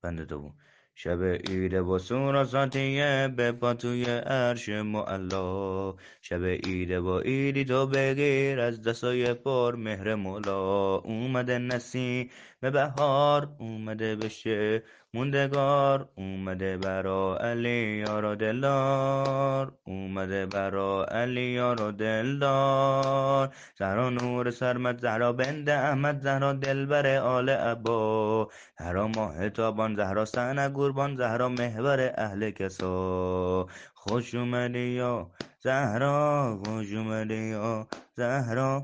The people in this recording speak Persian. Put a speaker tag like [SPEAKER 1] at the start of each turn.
[SPEAKER 1] بند دوم. شب عید و سور و ساتیه به پا توی عرش معلا. شب عید و عیدی تو بگیر از دستای پر مهر مولا. اومده نسیم بهار، اومده بشه موندگار، اومده برا علی یار و دلدار، اومده برا علی یار و دلدار. زهرا نور سرمد، زهرا بنت احمد، زهرا دلبر آل عبا، زهرا ماه تابان، زهرا سن قربان، زهرا محور اهل کسا. خوش اومدی یا زهرا، خوش اومدی یا زهرا.